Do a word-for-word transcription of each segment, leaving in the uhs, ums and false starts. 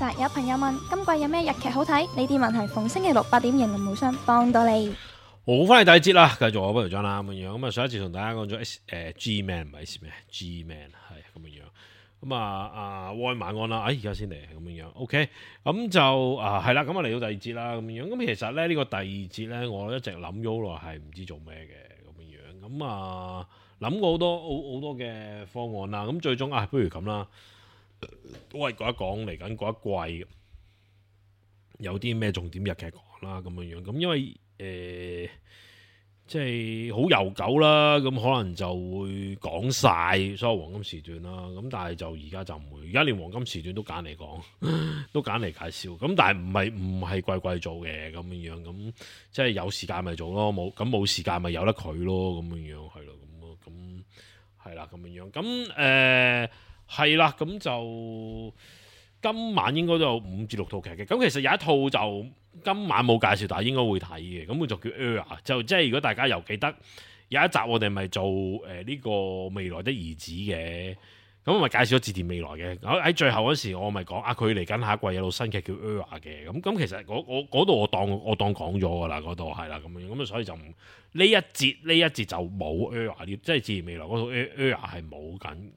實有朋友問今季有咩日劇好睇？呢啲問題逢星期六八點迎林無雙幫到你。好，翻嚟第二節啦，繼續我不如張啦咁樣。咁啊，上一次同大家講咗 S 誒 G Man 唔係 S 咩 G Man 係咁樣。咁啊啊，安晚安啦，哎而家先嚟咁樣。OK，咁就啊係啦，咁啊嚟到第二節啦咁樣。咁其實咧呢、這個第二節咧，我一直諗咗好耐係唔知做咩嘅咁樣。咁啊諗過好多好好多嘅方案啦。咁最終啊，不如咁啦，都係講一講嚟緊嗰一季有啲咩重點日劇講啦咁樣樣。咁因為誒、呃，即係好悠久啦，咁可能就會講晒所有黃金時段啦。咁但係就而家就唔會，而家連黃金時段都揀嚟講，都揀嚟介紹。咁但係唔係唔係季季做嘅咁樣樣，咁即係有時間咪做咯，冇咁冇時間咪由得佢咯，咁樣樣係咯，咁咁係啦，咁樣樣。咁誒係啦，咁就今晚應該都有五至六套劇嘅。咁其實有一套就今晚冇介紹，但係應該會睇嘅。咁佢就叫 Era， 就即係如果大家又記得有一集我哋咪做誒呢、呃這個未來的兒子嘅，咁我咪介紹咗志田未來嘅。喺最後嗰時我咪講啊，佢嚟緊下一季有套新劇叫 Era 嘅。咁咁其實嗰度我當我當講咗㗎啦，嗰度係啦咁樣。咁所以就唔呢一節呢一節就冇 Era， 即係志田未來嗰套 Era 係冇緊，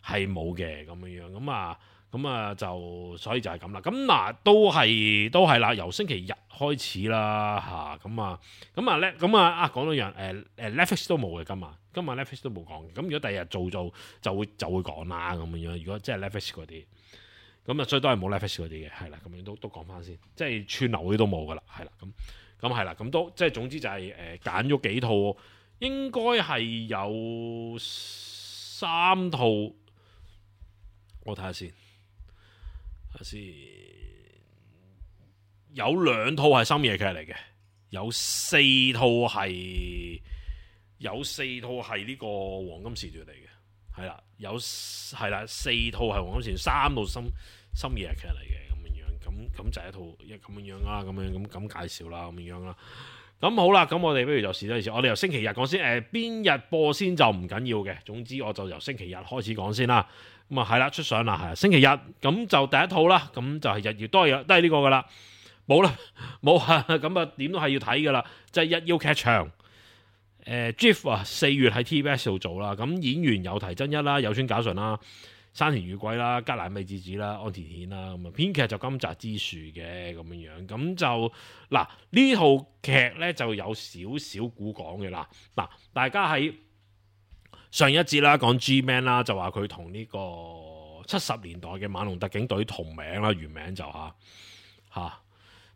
係冇嘅咁樣樣。咁啊〜咁啊，就所以就係咁啦。咁嗱，都係都係啦。由星期日開始啦，嚇咁啊，咁啊咧，咁啊啊講到樣誒誒 Netflix 都冇嘅今晚，今晚 Netflix 都冇講嘅。咁如果第日做做就會就會講啦咁樣。如果即係 Netflix 嗰啲，咁啊，所以都係冇 Netflix 嗰啲嘅，係啦，咁樣都都講翻先。即係串流嗰啲都冇噶啦，係啦，咁咁係啦，咁都即係總之就係誒揀咗幾套，應該係有三套，我睇下先。先有兩套係深夜劇嚟嘅，有四套係有四套係呢個黃金時段嚟嘅，係啦，有係啦，四套係黃金時段，三套深深夜劇嚟嘅咁樣樣，咁咁就係一套一咁樣樣啦，咁樣咁咁介紹啦，咁樣樣啦。咁好啦，咁我哋不如就試多次，我哋由星期日講先，誒、呃、邊日播先就唔緊要嘅，總之我就由星期日開始講先啦。咁啊係啦，出相啦，係星期日，咁就第一套啦，咁就係日曜，都係都係呢個噶啦，冇啦冇啊，咁啊點都係要睇噶啦，即係日曜劇場，誒、呃、G I F 啊，四月喺 T V B S 度做啦，咁演員有堤真一啦，有村架純啦，山田裕貴啦，加瀨美智子啦，安田顯啦，咁啊編劇就金澤之樹嘅咁樣樣，咁就嗱呢套劇咧就有少少古講嘅啦，嗱大家喺上一節啦，講 G-Man 啦，就話佢同呢個七十年代嘅猛龍特警隊同名啦，原名就嚇嚇。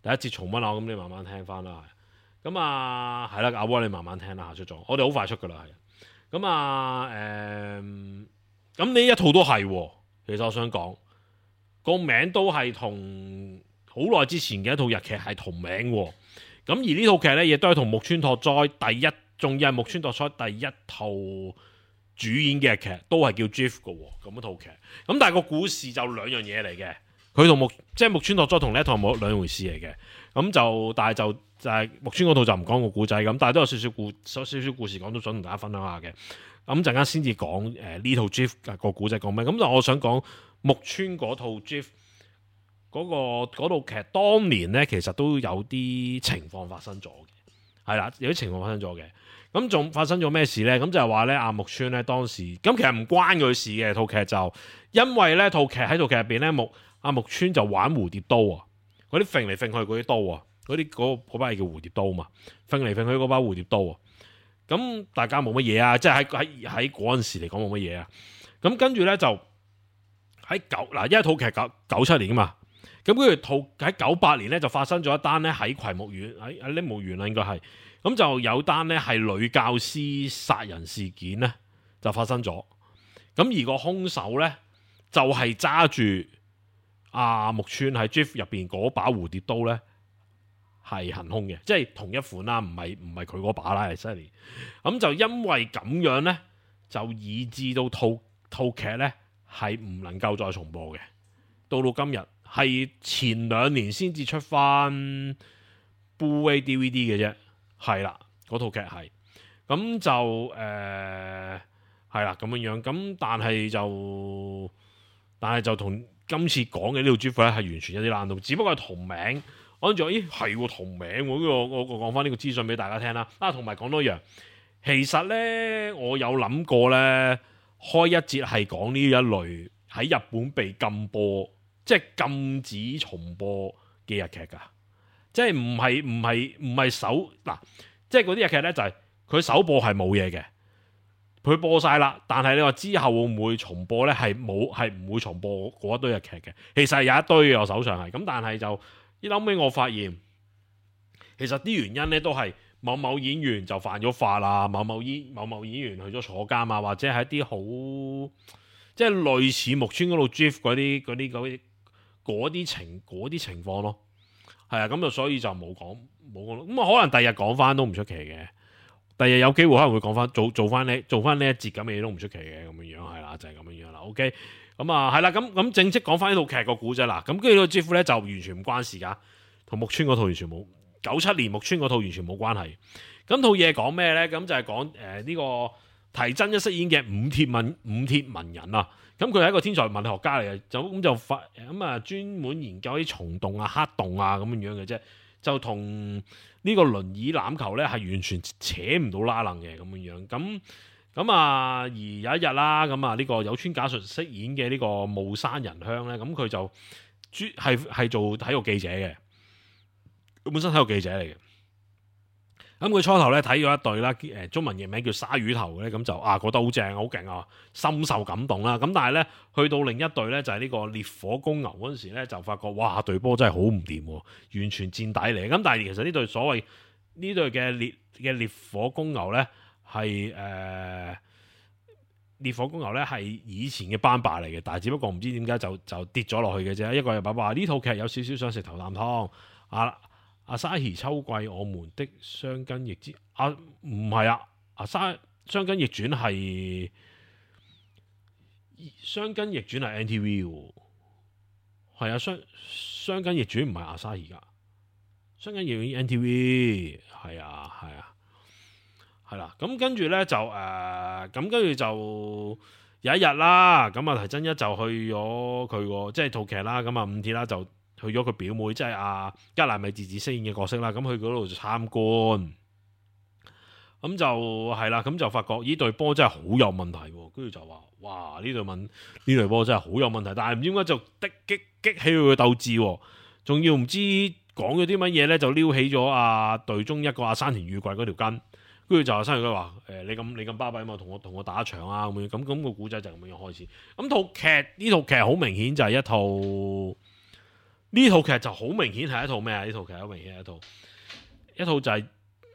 第一節重溫啊，咁你慢慢聽翻啦。咁啊，係啦，阿波你慢慢聽啦，出咗，我哋好快出噶啦，係。咁啊，誒、嗯，咁呢一套都係，其實我想講個名都係同好耐之前嘅一套日劇係同名喎。咁而呢套劇咧，亦都係同木村拓哉第一，仲要係木村拓哉第一套主演嘅劇都係叫 G I F 嘅喎，咁一套劇，咁但係個故事就兩樣嘢嚟嘅，佢同木即係木村拓哉同呢一套冇兩回事嚟嘅，咁就但係就就係木村嗰套就唔講個故仔咁，但係都有少少故少少故事講，都想同大家分享下嘅，咁陣間先至講誒呢套 G I F 個故仔講咩，咁就我想講木村嗰套 G I F 嗰、嗰個嗰套劇當年咧其實都有啲情況發生咗嘅，係啦，有啲情況發生咗嘅。咁仲發生咗咩事呢？咁就係話咧，阿木村咧當時咁其實唔關佢事嘅套劇就，因為咧套劇喺套劇入邊咧木阿木村就玩蝴蝶刀啊，嗰啲揈嚟揈去嗰啲刀啊，嗰啲嗰嗰把係叫蝴蝶刀嘛，揈嚟揈去嗰把蝴蝶刀啊，咁大家冇乜嘢啊，即係喺喺喺嗰陣時嚟講冇乜嘢啊，咁跟住咧就喺九嗱，因為套劇九九七年啊嘛，咁跟住套喺九八年咧就發生咗一單咧喺葵木縣喺喺鈴木縣啦應該係。咁就有單咧係女教師殺人事件咧就發生咗，咁而個兇手咧就係揸住阿木村喺 G I F 入邊嗰把蝴蝶刀咧係行兇嘅，即係同一款啦，唔係唔係佢嗰把啦，係犀利。咁就因為咁樣咧，就以致到套套劇咧係唔能夠再重播嘅，到到今日係前兩年先至出翻 Blu-ray D V D 嘅啫。係啦，嗰套劇係，咁就誒係啦咁樣樣，咁但係就但係就同今次講嘅呢套 GIF 咧係完全一啲爛到，只不過係同名。我諗住咦係同名喎，呢個我我講翻呢個資訊俾大家聽啦。啊，同埋講多樣，其實咧我有諗過咧開一節係講呢一類喺日本被禁播，即係禁止重播嘅日劇㗎。即係唔係唔係唔係首嗱，即係嗰啲日劇咧就係、是、佢首播係冇嘢嘅，佢播晒啦。但係你話之後會唔會重播咧？係冇，係唔會重播嗰一堆日劇嘅。其實有一堆嘅，我手上係咁，但係就一後尾我發現，其實啲原因咧都係某某演員就犯咗法啦，某某演某某演員去咗坐監啊，或者係一啲好即係類似木村嗰度 GIF 嗰啲嗰啲嗰啲嗰啲情嗰啲情況咯。係啊，咁就所以就冇講冇講咯。咁啊，可能第日講翻都唔出奇嘅。第日有機會可能會講翻做做翻呢做翻呢一節咁嘅嘢都唔出奇嘅咁樣樣係啦，就係咁樣樣啦。OK，咁啊係啦，咁咁正式講翻呢套劇個古仔啦。咁跟住呢個 GIF 咧就完全唔關事噶，同木村嗰套完全冇。九七年木村嗰套完全冇關係。咁套嘢講咩咧？咁就係講誒呢個堤真一飾演嘅五鐵文五鐵文人啊。咁佢係一個天才物理學家嚟嘅，就咁就發咁啊，專門研究啲蟲洞啊、黑洞啊咁樣樣嘅啫，就同呢個輪椅欖球咧係完全扯唔到拉楞嘅咁樣樣。咁咁啊，而有一日啦，咁啊呢個有村架純飾演嘅呢個霧山仁香咧，咁佢就專係係做體育記者嘅，佢本身體育記者嚟嘅。咁佢初頭咧睇咗一隊啦，誒中文譯名叫鯊魚頭咧，咁就啊覺得好正好勁啊，深受感動啦。咁但係咧去到另一隊咧就係呢個烈火公牛嗰陣時咧，就發覺哇隊波真係好唔掂，完全墊底嚟。咁但係其實呢隊所謂呢隊嘅烈嘅烈火公牛咧係誒烈火公牛咧係以前嘅班霸嚟嘅，但係只不過唔知點解就就跌咗落去嘅啫。一個又話話呢套劇有少少想食頭啖湯啊。阿沙希秋季我們的雙根逆之啊，唔係啊，阿沙雙根逆轉係雙根逆轉係 N T V 喎，係啊，雙雙根逆轉唔係阿沙希噶，雙根逆轉 N T V 係啊係啊係啦，咁跟住咧就誒，咁跟住就有一日啦，咁啊堤真一就去咗佢個即係套劇啦，咁啊五鐵啦就。去咗佢表妹，即係阿加奈美智子飾演嘅角色啦。咁去嗰度就參觀，咁就係啦。咁就發覺呢隊波真係好有問題，跟住就話：哇！呢隊問呢隊波真係好有問題。但係唔知點解就激激激起佢嘅鬥志，仲要唔知講咗啲乜嘢咧，就撩起咗阿隊中一個阿山田裕貴嗰條筋。跟住就阿山田裕貴話：誒、欸，你咁你咁巴閉啊嘛，同我同我打一場啊咁樣。咁咁個古仔就咁樣開始。咁套劇呢套劇好明顯就係一套。呢套劇就好明顯係一套咩啊？呢套劇好明顯係一套一套就係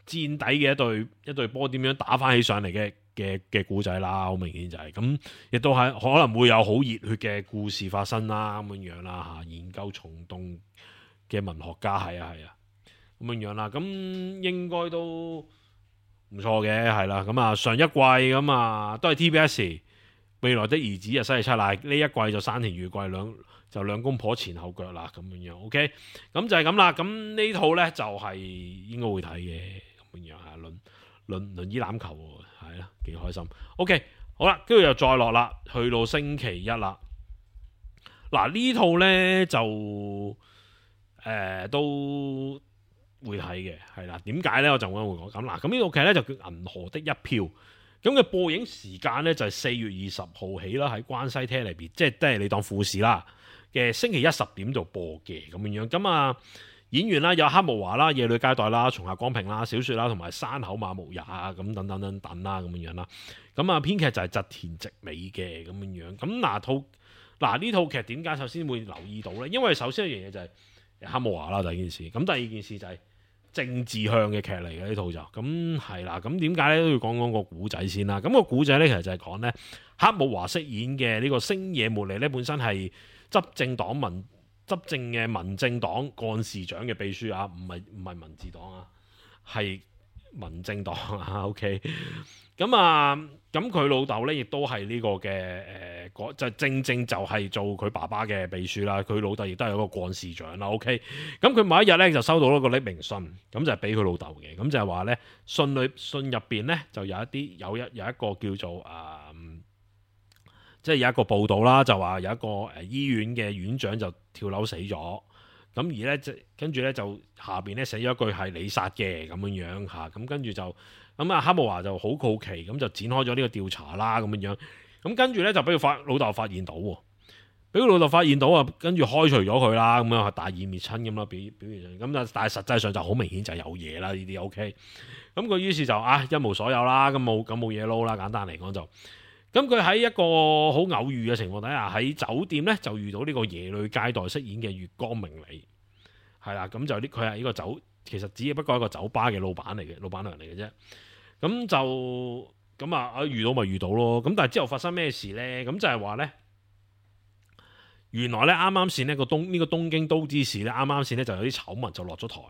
墊底嘅一隊一隊波點樣打翻起上嚟嘅嘅嘅故仔啦，好明顯就係、是、咁，亦都係可能會有好熱血嘅故事發生啦，咁樣樣啦嚇。研究蟲洞嘅文學家係啊係啊，咁樣樣啦，咁應該都唔錯嘅係啦。咁啊上一季咁啊都係 T B S 未來的兒子啊，西西七奶呢一季就山田裕貴兩。就兩公婆前後腳啦，咁樣樣 ，OK，咁就係咁啦。咁呢套咧就係、是、應該會睇嘅，咁樣樣啊，輪輪輪椅欖球喎，係啦，幾開心。OK，好啦，跟住又再落啦，去到星期一啦。嗱呢套咧就誒、呃、都會睇嘅，係啦。點解咧？我就會會講咁嗱。咁呢套劇咧就叫《銀河的一票》。咁嘅播映時間咧就係、是、四月二十號起啦，喺關西聽嚟邊，即係即係你當富士啦。嘅星期一十點就播嘅咁樣樣，咁啊演員啦有黑木華啦、夜女街代啦、松下光平啦、小雪啦同埋山口馬無也啊咁等等等等啦咁樣樣啦，咁啊編劇就係澤田直美嘅咁樣樣，咁嗱套嗱呢套劇點解首先會留意到咧？因為首先一樣嘢就係黑木華啦第一件事，咁第二件事就係政治向嘅劇嚟嘅呢套就，咁係啦，咁點解咧都要講講個古仔先啦？咁、個古仔咧其實就係講咧黑木華飾演嘅呢個星野茉莉咧本身係。執政黨民執政嘅民政黨幹事長嘅秘書啊，唔係唔係民治黨啊，係民政黨啊。OK，咁啊，咁佢老豆咧亦都係呢個嘅誒，就正正就係做佢爸爸嘅秘書啦。佢老豆亦都係一個幹事長啦。OK，咁佢某一日咧就收到一個匿名信，咁就係俾佢老豆嘅，咁就係話咧信裏信入邊咧就有一啲有一有一個叫做啊。即係有一個報道啦，就話有一個誒醫院嘅院長就跳樓死咗。咁而咧，即跟住咧就下邊咧寫咗一句係你殺嘅咁樣樣嚇，咁跟住就咁啊，黑姆華就好好奇，咁就展開咗呢個調查啦咁樣樣。咁跟住咧就俾佢發老豆發現到喎，俾佢老豆發現到啊，跟住開除咗佢啦，咁樣大義滅親咁啦，表表現上咁啊，但係實際上就好明顯就係有嘢啦，呢啲 OK。咁佢於是就啊一無所有啦，咁冇咁冇嘢撈啦，簡單嚟講就。咁佢喺一個好偶遇嘅情況底下，喺酒店咧就遇到呢個耶律佳代飾演嘅月光明里，係啦，咁就呢佢係呢個酒，其實只不過係一個酒吧嘅老闆嚟嘅，老闆娘嚟嘅啫。咁就咁啊，遇到咪遇到咯。咁但係之後發生咩事咧？咁就係話咧，原來咧啱啱先呢個東呢、這個東京都知事咧啱啱先咧就有啲醜聞就落咗台，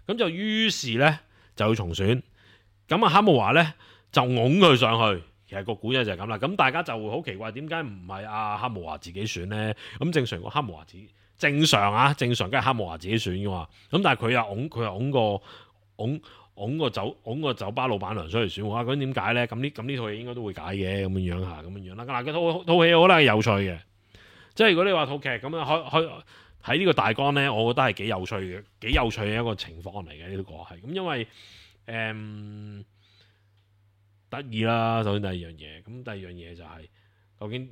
咁就於是咧就要重選。咁啊黑姆華咧就拱佢上去。其實個古仔就係咁啦，咁大家就會好奇怪，點解唔係阿黑姆華自己選呢？咁正常個黑姆華自正常啊，正常梗係黑姆華自己選噶嘛。咁但係佢又拱佢又拱個拱拱個酒拱個酒吧老闆娘出嚟選，哇！咁點解呢？咁呢咁呢套嘢應該都會解嘅咁樣樣嚇，咁樣樣啦。嗱，套套戲我覺得係有趣嘅，即係如果你話套劇咁樣開開喺呢個大綱呢，我覺得係幾有趣嘅，幾有趣嘅一個情況嚟嘅呢個係咁，因為誒。嗯得意啦，首先第二樣嘢，咁第二樣嘢就係、是、究竟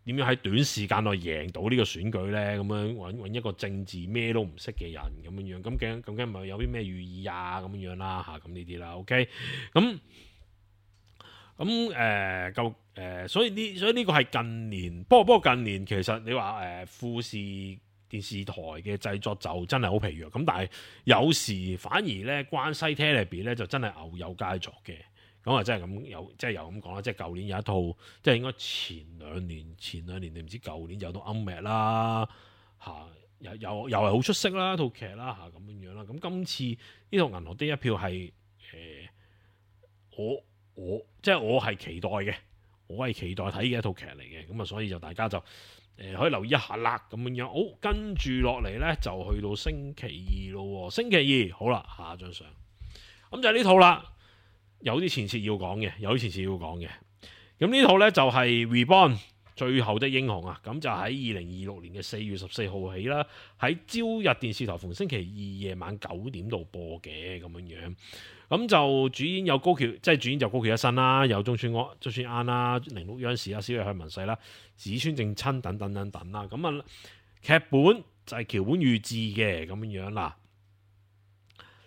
點樣喺短時間內贏到呢個選舉咧？咁樣揾揾一個政治咩都唔識嘅人咁樣樣，咁究究竟咪有啲咩寓意啊？咁樣樣啦嚇，咁呢啲啦 ，OK，咁咁誒夠誒，所以呢，所以呢個係近年，不過不過近年其實你話誒、呃、富士電視台嘅製作就真係好疲弱，咁但係有時反而咧關西 Telebi 咧就真係牛有佳作嘅。咁啊，真係咁有，即係又咁講啦。即係舊年有一套，即係應該前兩年、前兩年定唔知舊年有套《暗 a 啦，嚇、啊，又又又係好出色啦，套劇啦嚇咁樣樣啦。咁今次呢套《銀河的一票》係誒、呃，我我即係我係期待嘅，我係期待睇嘅一套劇嚟嘅。咁啊，所以就大家就誒、呃、可以留意一下啦，咁樣樣。好、哦，跟住落嚟咧就去到星期二咯。星期二好啦，下一張相，咁就係呢套啦。有啲前設要講嘅，有啲前設要講嘅。咁呢套呢，就係、是、Reborn 最後的英雄啊！咁就喺二零二六年嘅四月十四號起啦，喺朝日電視台逢星期二夜晚九點度播嘅咁樣樣。咁就主演有高橋，即係主演就高橋一生啦，有中村安、中村安啦、鈴鹿央士啦、小野向文世啦、紫川正親等等等等啦。咁啊，劇本就係橋本裕志嘅咁樣樣啦。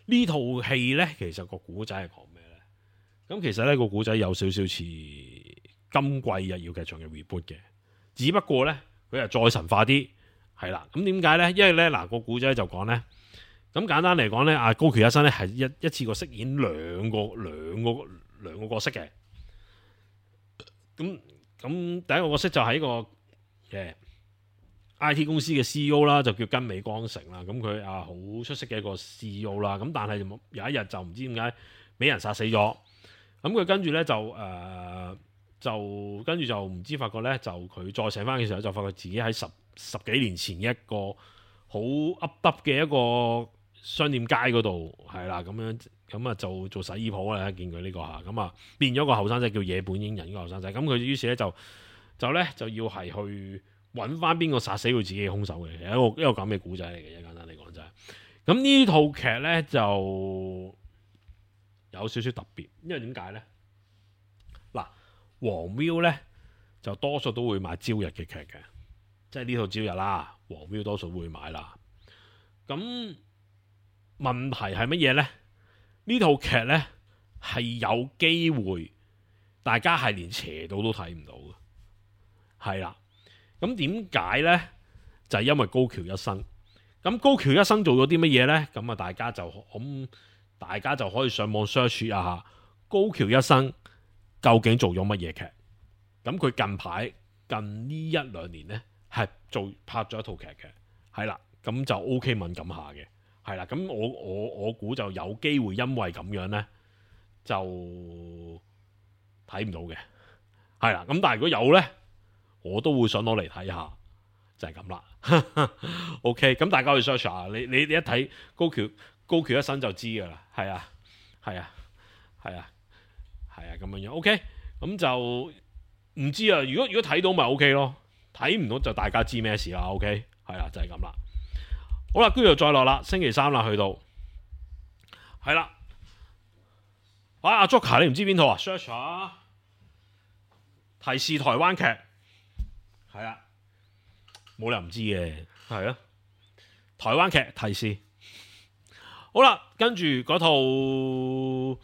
呢套戲呢，其實個古仔係講咩？咁其實呢個古仔有少少似今季日曜劇場嘅 reboot 嘅，只不過呢，佢係再神化啲，係啦。咁點解呢？因為呢嗱個古仔就講呢，咁簡單嚟講呢，阿高橋一生呢係一一次過飾演兩個兩個兩個角色嘅。咁咁第一個角色就係一個嘅 I T 公司嘅 C E O 啦，就叫根尾光成啦。咁佢啊好出色嘅一個 C E O 啦。咁但係有一日就唔知點解俾人殺死咗。咁佢跟住咧就誒、呃、就跟住就唔知發覺咧，就佢再醒翻嘅時候就發覺自己喺十十幾年前一個好噏耷嘅一個商店街嗰度係啦，咁樣咁啊就做洗衣鋪啦，見佢呢、這個嚇咁啊變咗個後生仔叫野本英人，呢個後生仔。咁佢於是咧就就咧就要係去揾翻邊個殺死佢自己嘅兇手嘅，係一個一個咁嘅古仔嚟嘅，簡單嚟講就係。咁呢套劇咧就有少少特別，因為點解呢？嗱，黃 Viu 咧就多數都會買朝日嘅劇嘅，即係呢套朝日啦，黃 Viu 多數會買啦。咁問題係乜嘢呢？呢套劇呢係有機會，大家係連斜度都睇唔到嘅，係啦。咁點解呢？就係、是、因為高橋一生。咁高橋一生做咗啲乜嘢呢？咁啊，大家就咁。大家就可以上網 search 一下高橋一生究竟做咗乜嘢劇。咁佢近排近呢一兩年呢，係做拍咗一套劇嘅，係啦，咁就 OK 敏感下嘅，係啦。咁我我我估就有機會因為咁樣呢，就睇唔到嘅，係啦。咁但係如果有呢，我都會想攞嚟睇下，就係咁啦。OK，咁大家可以 search 下，你你你一睇高橋。高橋一生就知噶啦，係啊，係啊，係啊，係啊，咁樣樣。OK，咁就唔知啊，如果如果睇到咪 O K 咯，睇唔到就大家知咩事啦。O K 係啦，就係咁啦。好啦，跟住就再落啦，星期三啦，去到係啦。啊，阿 Joker 你唔知邊套啊 ？search 下提示台灣劇係啊，冇理由唔知嘅，係啊，台灣劇提示。好啦，跟住嗰套誒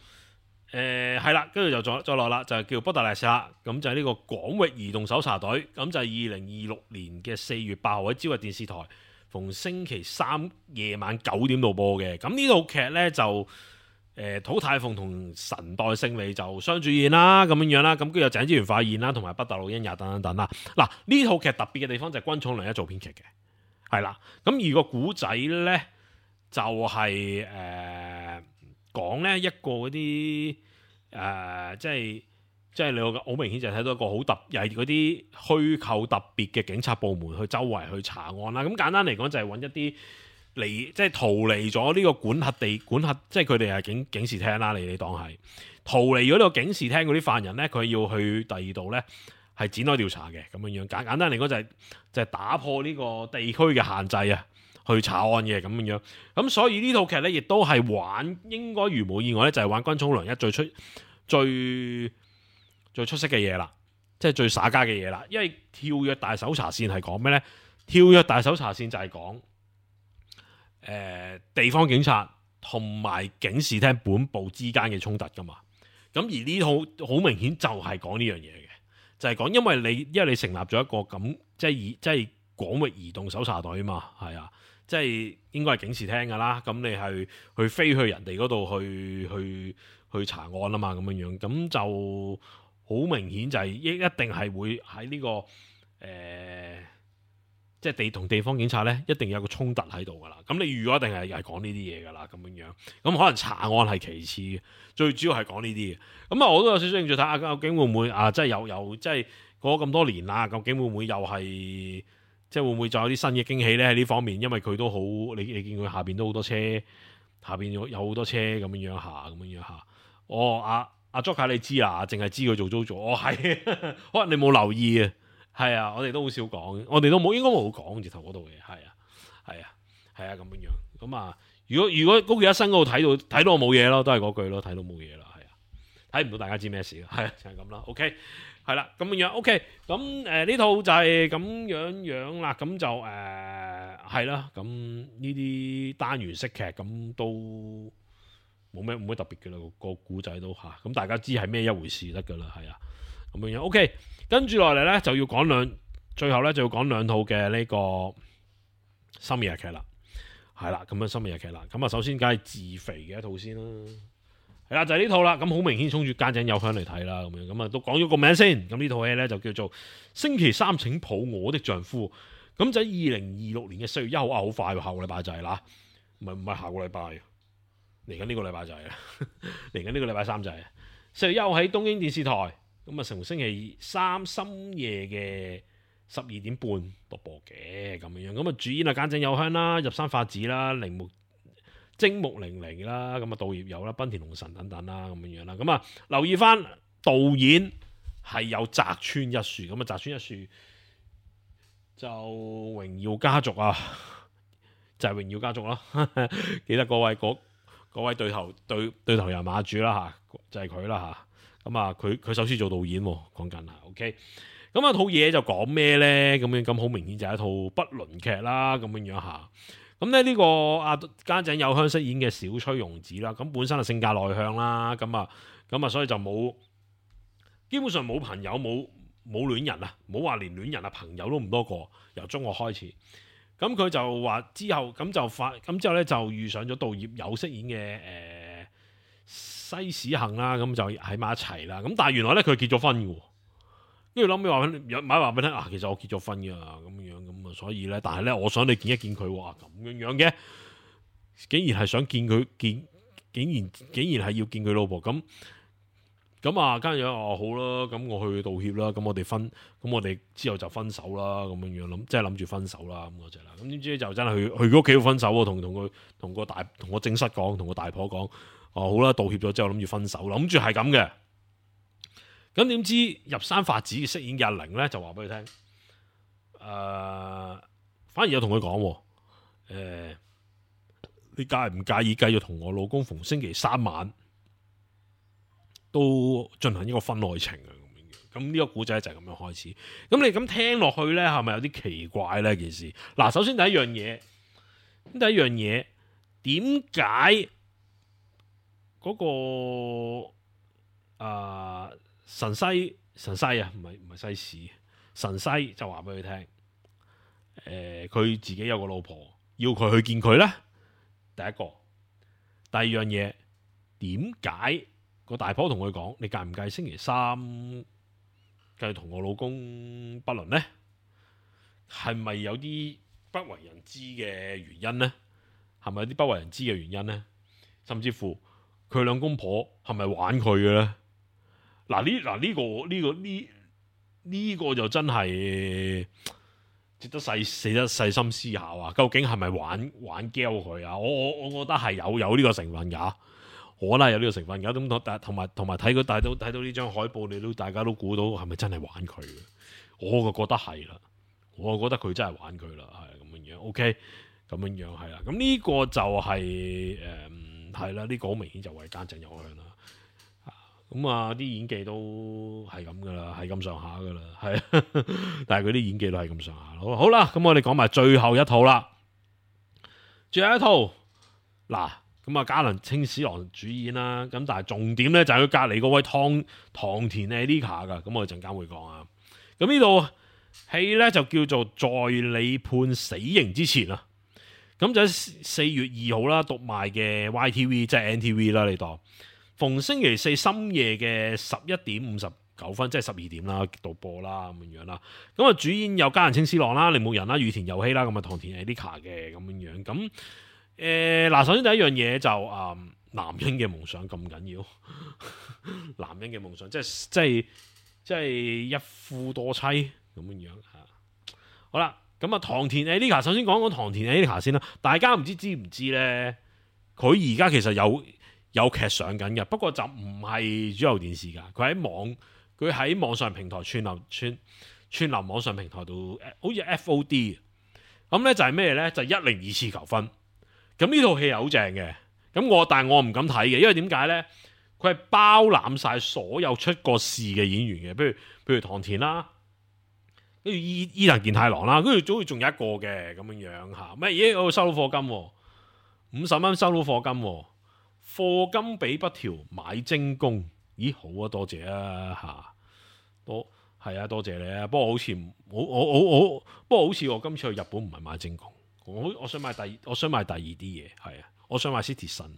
係啦，跟住就再再落啦，就係叫《波特萊斯》啦。咁就係呢個廣域移動搜查隊。咁就係二零二六年嘅四月八號喺朝日電視台，逢星期三夜晚九點度播嘅。咁呢套劇呢，就誒土太鳳同神代勝利就雙主演啦，咁樣樣啦。咁跟住有井之原化演啦，同埋北大路欣也等等等啦。嗱，呢套劇特別嘅地方就係軍塚良一做編劇嘅，係啦。咁而個古仔呢，就係誒講呢一個嗰啲誒，即係即係你好明顯就睇到一個好特，又係嗰啲虛構特別嘅警察部門去周圍去查案啦。咁簡單嚟講就係揾一啲離即係逃離咗呢個管轄地管轄，即係佢哋係警警視廳啦。你你當係逃離咗呢個警視廳嗰啲犯人呢，佢要去第二度呢，係展開調查嘅咁樣樣。簡簡單嚟講就係就係打破呢個地區嘅限制啊，去查案嘅咁樣樣。咁所以呢套劇呢，亦都係玩應該如無意外呢，就係玩軍塚良一最出最最出色嘅嘢啦，即係最耍家嘅嘢啦。因為跳躍大搜查線係講咩呢？跳躍大搜查線就係講誒地方警察同埋警視廳本部之間嘅衝突噶嘛。咁而呢套好明顯就係講呢樣嘢嘅，就係、是、講因為你因為你成立咗一個咁即係以即係廣域移動搜查隊啊嘛，係啊，即係應該係警視廳噶啦。咁你係去飛去人哋嗰度去去去查案啊嘛，咁樣樣咁就好明顯就係一一定係會喺呢、這個誒。呃即係地同地方警察咧，一定有個衝突喺度噶啦。咁你預咗一定係係講呢啲嘢噶啦，咁樣樣。咁可能查案係其次嘅，最主要係講呢啲嘅。咁啊，我都有少少興趣睇下，究竟會唔會啊？即係有有即係過咗咁多年啦，究竟會唔會又係即係會唔會再有啲新嘅驚喜咧？喺呢方面，因為佢都好，你你見佢下邊都好多車，下邊有有好多車咁樣樣下，咁樣樣下。哦，阿阿 Joker 你知啊？淨係知佢做租做，哦係，可能你冇留意啊。係啊，我哋都好少講，我哋都冇應該冇講直頭嗰度嘅，係啊，係啊，係啊咁樣樣。咁啊，如果如果高橋一生嗰度睇到睇到我冇嘢咯，都係嗰句咯，睇到冇嘢啦，係啊，睇唔到大家知咩事咯，係啊，就係咁啦。OK，係啦，咁樣樣 OK，咁誒呢套就係咁樣樣啦，咁就誒係啦，咁呢啲單元式劇咁都冇咩冇咩特別嘅啦，個古仔都嚇，咁大家知係咩一回事得噶啦，係啊，咁樣樣 OK。跟住落嚟咧，就要講兩，最後咧就要講兩套嘅呢個深夜劇啦，係啦，咁樣深夜劇啦。咁啊，首先梗係自肥嘅一套先啦，係啦，就係、是、呢套啦。咁好明顯衝住家井有香嚟睇啦，咁樣咁啊，都講咗個名先。咁呢套戲咧就叫做《星期三請抱我的丈夫》。咁就喺二零二六年嘅四月一號啊，好快喎，下個禮拜就係啦，唔係唔係下個禮拜，嚟緊呢個禮拜就係啦，嚟緊呢個禮拜三就係四月一號喺東京電視台。咁啊，成星期三深夜嘅十二點半獨播嘅咁樣樣，咁啊主演啊菅井友香啦、入山法子啦、鈴木精木玲玲啦，咁啊稻葉友啦、濱田龍臣等等啦，咁樣樣啦，咁啊留意翻導演係有澤村一樹，咁啊澤村一樹就榮耀家族啊，就係、是、榮耀家族啦，記得各位嗰各位對頭對對頭人馬主啦嚇，就係佢啦嚇。咁啊，佢佢首先做導演，講緊啊 ，OK。咁啊，套嘢就講咩咧？咁樣咁好明顯就係一套不倫劇啦，咁樣樣下。咁咧呢個阿菅井友香飾演嘅小崔庸子啦，咁本身係性格內向啦，咁啊，咁啊，所以就冇基本上冇朋友，冇冇戀人啊，冇話連戀人啊，朋友都唔多個。由中學開始，咁佢就話之後咁就發，咁之後咧就遇上咗稻葉友飾演嘅誒。呃西史幸啦，咁就喺埋一齊啦。咁但係原來咧佢結咗婚嘅，跟住諗尾話有買話俾你聽啊，其實我結咗婚嘅咁樣咁啊，所以咧，但係咧，我想你見一見佢，哇咁樣樣嘅，竟然係想見佢見，竟然竟然係要見佢老婆咁咁啊，跟住哦好啦，咁我去道歉啦，咁我哋分，咁我哋之後就分手啦，咁樣樣諗，即係諗住分手啦咁嗰隻啦。咁點知就真係去去佢屋企度分手喎，同同佢同個大同個正室講，同個大婆講。哦，好啦，道歉咗之後諗住分手，諗住係咁嘅。咁點知入山法子嘅飾演嘅阿玲咧就話俾佢聽，誒、呃，反而有同佢講，誒、呃，你介唔介意繼續同我老公逢星期三晚都進行一個婚外情啊？咁呢個古仔就係咁樣開始。咁你咁聽落去咧，係咪有啲奇怪咧？件事嗱，首先第一樣嘢，咁第一樣嘢，點解嗰個啊、呃、神西神西啊，唔係唔係西史神西就話俾佢聽，誒、呃，佢自己有個老婆，要佢去見佢咧。第一個，第二樣嘢，點解個大婆同佢講，你介唔介意星期三繼續同我老公不倫呢？係咪有啲不為人知嘅原因呢？係咪有啲不為人知嘅原因呢？甚至乎佢兩公婆係咪玩佢嘅呢？嗱呢嗱呢個呢、呢個呢呢、呢個就真係值得細細得細心思考啊！究竟係咪玩玩 gel 佢啊？我我我覺得係有有呢個成分㗎。我啦有呢個成分㗎，咁同埋同埋睇佢睇到睇到呢張海報，你都大家都估到係咪真係玩佢嘅？我就覺得係啦，我就覺得佢真係玩佢啦，係咁樣樣。OK，咁樣樣係啦。咁呢個就係誒係啦，呢、呢個好明顯就為奸情有向啦。咁啊啲演技都係咁噶啦，係咁上下噶啦，係。但係佢啲演技都係咁上下咯。好啦，咁我哋講埋最後一套啦，最後一套嗱。咁啊，嘉能清史郎主演啦，咁但係重點咧就係佢隔籬嗰位湯唐田誒 Lika 噶，咁我哋陣間會講啊。咁呢度戲咧就叫做在你判死刑之前啊，咁就喺四月二號啦，讀賣嘅 Y T V 即係 N T V 啦，你當逢星期四深夜嘅十一點五十九分，即係十二點啦，度播啦咁樣樣啦。咁啊，主演有嘉能清史郎啦、鈴木仁啦、羽田佑希啦，咁啊唐田誒 Lika 嘅咁樣樣咁。誒嗱、呃，首先第一樣嘢就啊、嗯，男人嘅夢想咁緊要，男人嘅夢想即係即係即係一夫多妻咁樣樣嚇。好啦，咁啊，唐田誒 Lika 首先講講唐田誒 Lika先啦。大家唔知知唔知咧？佢而家其實有有劇上緊嘅，不過就唔係主流電視㗎。佢喺網，佢喺網上平台串流串串流網上平台度，好似 F O D。咁咧就係咩咧？就一零二次求婚。咁呢套戲係好正嘅，咁我但係我唔敢睇嘅，因為點解咧？佢係包攬晒所有出過事嘅演員嘅，譬如譬如唐田啦，跟住伊伊藤健太郎啦，跟住好似仲有一個嘅咁樣樣嚇，咩嘢？我收到課金，五十蚊收到課金，課金俾不條買精工，咦好啊，多謝啊嚇，多係啊，多謝你啊，不過好似我我我我，不過好似我今次去日本唔係買精工。我我想買第，我想買第二啲嘢，係啊，我想買 Citizen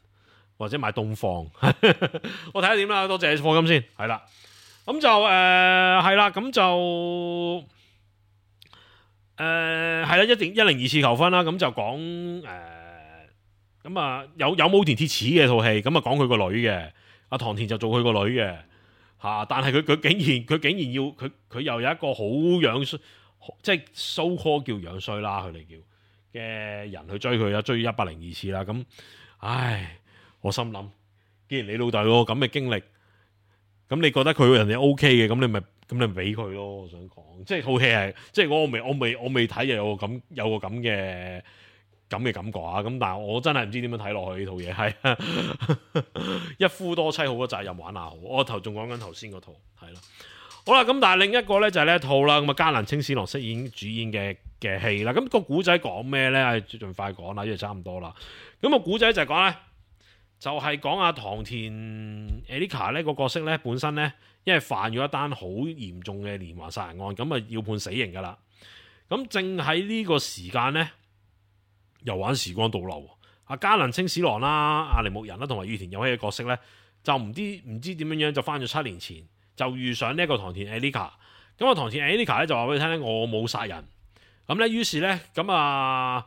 或者買東方，我睇下點啦，多謝課金先，係啦，咁就誒係啦，咁就誒係啦，一定一零二次求婚啦，咁就講誒咁啊有有武田鐵矢嘅套戲，咁啊講佢個女嘅，阿唐田就做佢個女嘅嚇、啊，但係佢佢竟然佢竟然要佢佢又有一個好樣衰，即係 so call 叫樣衰啦，佢哋叫。嘅人去追佢啊，追一百零二次啦，咁，唉，我心諗，既然你老豆有個咁嘅經歷，咁你覺得佢人哋 O K 嘅，咁你咪咁你咪俾佢咯。我想講，即係套戲係，即係我未我未我未睇又有個咁有個咁嘅咁嘅感覺啊。咁但係我真係唔知點樣睇落去呢套嘢，係一夫多妻好過責任玩下好。我頭仲講緊頭先嗰套，係啦。好啦，咁但係另一個咧就係呢一套啦，咁啊嘉能清史郎飾演主演嘅嘅戲啦，咁、那個古仔講咩咧？盡快講啦，因為差唔多啦。咁、那個古仔就係講咧，就係講阿唐田 Lika 呢個角色咧，本身咧因為犯咗一單好嚴重嘅連環殺人案，咁啊要判死刑噶啦。咁正喺呢個時間咧，又玩時光倒流，阿嘉能清史郎啦、阿鈴木仁啦同埋羽田佑希嘅角色咧，就唔知唔知點樣樣就翻咗七年前。就遇上呢一個唐田 Lika， 咁啊唐田 Lika 咧就話俾你聽咧，我冇殺人，咁咧於是咧咁啊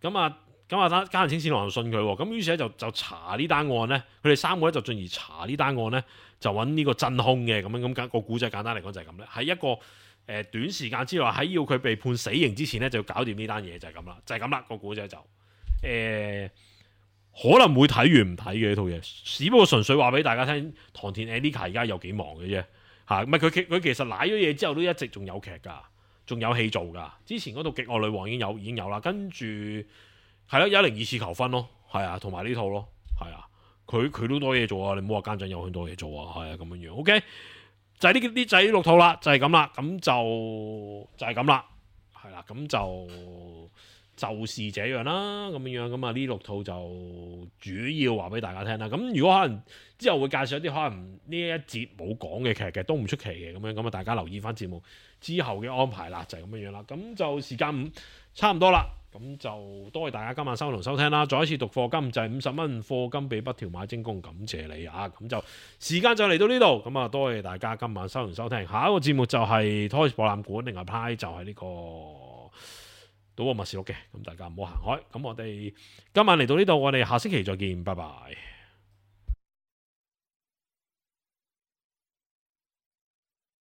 咁啊咁啊嘉能清史郎就信佢，咁於是咧就就查呢單案咧，佢哋三個咧就進而查呢單案咧，就揾呢個真兇嘅，咁樣咁、那個古仔簡單嚟講就係咁咧，喺一個誒、呃、短時間之內喺要佢被判死刑之前咧就要搞掂呢單嘢就係咁啦，就係咁啦個古仔就誒。呃可能會睇完唔睇嘅呢套嘢，只不過純粹話俾大家聽，唐田 Lika 而家有幾忙嘅啫。嚇，唔係佢佢其實賴咗嘢之後都一直仲有劇㗎，仲有戲做㗎。之前嗰套《極愛女王》已經有已經有啦，跟住係咯，一零二次求婚咯，係啊，同埋呢套咯，係啊，佢佢都多嘢做啊，你唔好話奸仔有很多嘢做啊，係啊咁樣樣。OK，就係呢啲就係呢六套啦，就係咁啦，咁就就係咁啦，係啦，咁就就是這樣啦，咁樣樣咁啊呢六套就主要話俾大家聽啦。咁如果可能之後會介紹一啲可能呢一節冇講嘅劇嘅，都唔出奇嘅咁樣，咁啊大家留意翻節目之後嘅安排啦，就係咁樣樣啦。咁就時間唔差唔多啦，咁就多謝大家今晚收同收聽啦。再一次讀課金就係五十蚊課金俾北條買精工，感謝你啊！咁就時間就嚟到呢度，咁啊多謝大家今晚收同收聽。下一個節目就係 Toys 博覽館，另外派就係呢個賭博默示錄嘅，咁大家唔好行開。咁我哋今晚嚟到呢度，我哋下星期再見，拜拜。